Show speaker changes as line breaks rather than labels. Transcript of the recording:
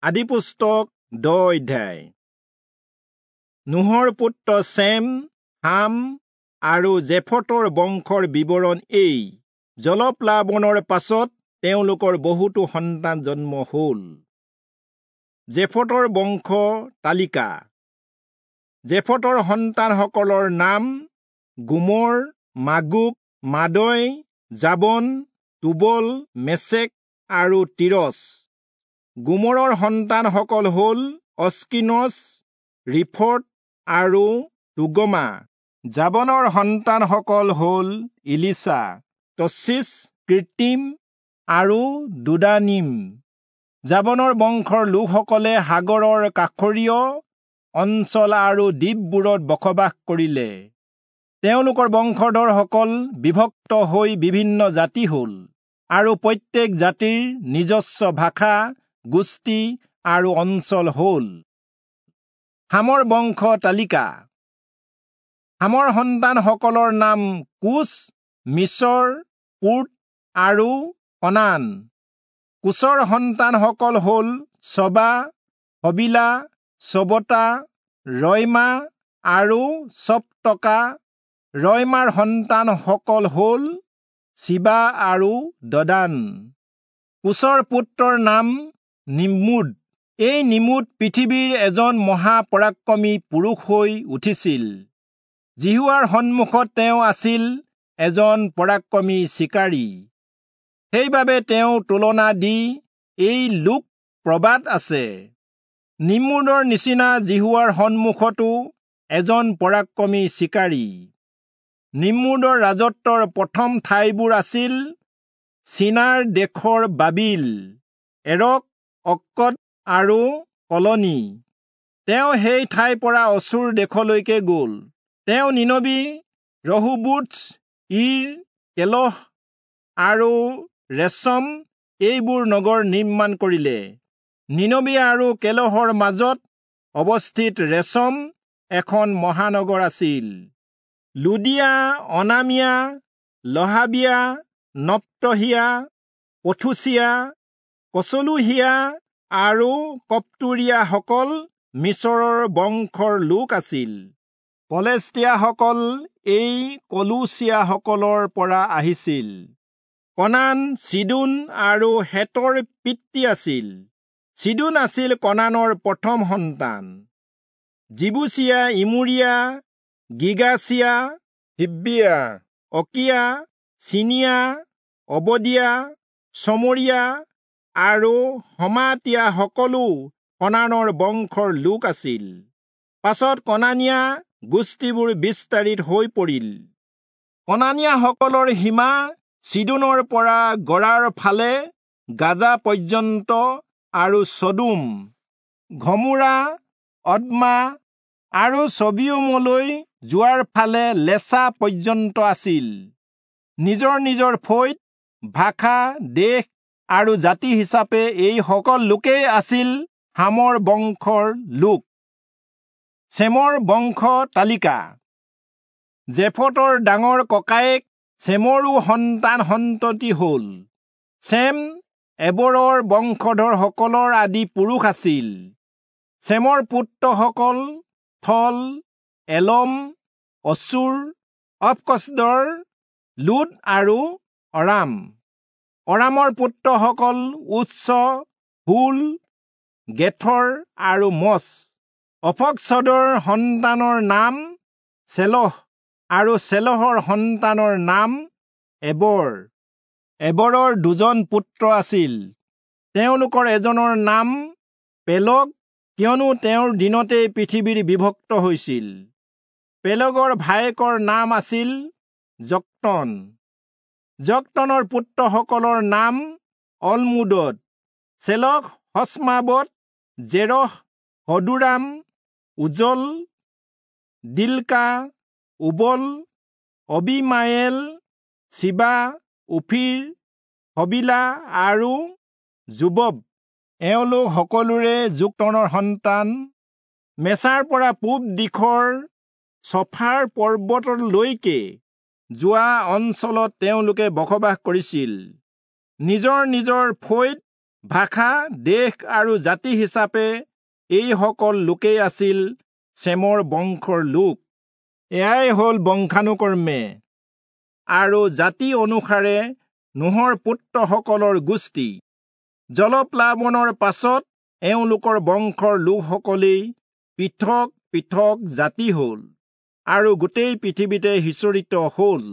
আদিপুস্তক 10 অধ্যায়। নোহৰ পুত্ৰ চেম, হাম আৰু জেফতৰ বংশৰ বিৱৰণ এই। জলপ্লাৱনৰ পাছত তেওঁলোকৰ বহুতো সন্তান জন্ম হ'ল। জেফতৰ বংশ তালিকা। জেফতৰ সন্তানসকলৰ নাম গোমৰ, মাগোগ, মাদয়, জাবন, তুবল, মেচেক আৰু তিৰচ। গোমৰৰ সন্তানসকল হ'ল অস্কিনচ, ৰিফট আৰু তোগমা। জাবনৰ সন্তানসকল হ'ল ইলিচা, তচ্ছিচ, কৃত্ৰিম আৰু দুদানিম। জাবনৰ বংশৰ লোকসকলে সাগৰৰ কাষৰীয় অঞ্চল আৰু দ্বীপবোৰত বসবাস কৰিলে। তেওঁলোকৰ বংশধৰসকল বিভক্ত হৈ বিভিন্ন জাতি হ'ল আৰু প্ৰত্যেক জাতিৰ নিজস্ব ভাষা, গোষ্ঠী আৰু অঞ্চল হ'ল। হামৰ বংশ তালিকা। হামৰ সন্তানসকলৰ নাম কুচ, মিছৰ, পুত আৰু কনান। কুচৰ সন্তানসকল হ'ল চবা, হবিলা, চবতা, ৰয়মা আৰু চবতকা। ৰয়মাৰ সন্তানসকল হ'ল চিবা আৰু দদান। কুচৰ পুত্ৰৰ নাম নিমুদ। এই নিমুদ পৃথিৱীৰ এজন মহাপৰাক্ৰমী পুৰুষ হৈ উঠিছিল। যিহোৱাৰ সন্মুখত তেওঁ আছিল এজন পৰাক্ৰমী চিকাৰী। সেইবাবে তেওঁ তুলনা দি এই লোক প্ৰবাদ আছে, নিমুদৰ নিচিনা যিহোৱাৰ সন্মুখতো এজন পৰাক্ৰমী চিকাৰী। নিমুদৰ ৰাজত্বৰ প্ৰথম ঠাইবোৰ আছিল চীনাৰ দেশৰ বাবিল, এৰক, অক্কদ আৰু কলনি। তেওঁ সেই ঠাইৰ পৰা অচুৰ দেশলৈকে গ'ল। তেওঁ নিনবী, ৰহোবোথ, ইৰ, কেলহ আৰু ৰেচম এইবোৰ নগৰ নিৰ্মাণ কৰিলে। নিনবী আৰু কেলহৰ মাজত অৱস্থিত ৰেচম এখন মহানগৰ আছিল। লুদিয়া, অনামিয়া, লহাবিয়া, নপ্তহিয়া, পথুচিয়া, কচলুহিয়া আৰু কপ্তুৰীয়াসকল মিছৰৰ বংশৰ লোক আছিল। পলেষ্টিয়াসকল এই কলুচিয়াসকলৰ পৰা আহিছিল। কনান চিদোন আৰু হেতৰ পিতৃ আছিল। চিদোন আছিল কনানৰ প্ৰথম সন্তান। জিবুচিয়া, ইমুৰীয়া, গিগাচিয়া, হিব্বিয়া, অকিয়া, চিনিয়া, অবদিয়া, চমৰীয়া আৰু হমাতীয়া সকলো কনানৰ বংশৰ লোক আছিল। পাছত কনানীয়া গোষ্ঠীবোৰ বিস্তাৰিত হৈ পৰিল। কনানীয়াসকলৰ সীমা চিদোনৰ পৰা গৰাৰ ফালে গাজা পৰ্যন্ত আৰু চদোম, ঘমোৰা, অদ্মা আৰু চবিয়মলৈ যোৱাৰ ফালে লেচা পৰ্যন্ত আছিল। নিজৰ নিজৰ ফৈদ, ভাষা, দেশ আৰু জাতি হিচাপে এই সকল লোকেই আছিল হামৰ বংশৰ লোক। চেমৰ বংশ তালিকা। জেফতৰ ডাঙৰ ককায়েক চেমৰো সন্তান সন্ততি হ'ল। চেম এবৰৰ বংশধৰসকলৰ আদি পুৰুষ আছিল। চেমৰ পুত্ৰসকল থল, এলম, অচুৰ, অপকচদৰ, লুদ আৰু অৰাম। অৰামৰ পুত্ৰসকল উচ্চ, হুল, গেথৰ আৰু মচ। অপকচদৰ সন্তানৰ নাম চেলহ আৰু চেলহৰ সন্তানৰ নাম এবৰ। এবৰৰ দুজন পুত্ৰ আছিল। তেওঁলোকৰ এজনৰ নাম পেলগ, কিয়নো তেওঁৰ দিনতেই পৃথিৱীৰ বিভক্ত হৈছিল। পেলগৰ ভায়েকৰ নাম আছিল যক্তন। যক্তনৰ পুত্ৰসকলৰ নাম অলমোদদ, চেলখ, হস্মাবত, জেৰহ, হদোৰাম, উজল, দিলকা, উবল, অবিমায়েল, চিবা, উফিৰ, হবিলা আৰু যোবব। এওঁলোক সকলোৰে যোক্তনৰ সন্তান। মেচাৰ পৰা পূব দিশৰ চফাৰ পৰ্বতলৈকে যোৱা অঞ্চলত তেওঁলোকে বসবাস কৰিছিল। নিজৰ নিজৰ ফৈদ, ভাষা, দেশ আৰু জাতি হিচাপে এইসকল লোকেই আছিল চেমৰ বংশৰ লোক। এয়াই হ'ল বংশানুক্ৰমে আৰু জাতি অনুসাৰে নোহৰ পুত্ৰসকলৰ গোষ্ঠী। জলপ্লাৱনৰ পাছত এওঁলোকৰ বংশৰ লোকসকলেই পৃথক পৃথক জাতি হ'ল আৰু গোটেই পৃথিৱীতে সিঁচৰিত হ'ল।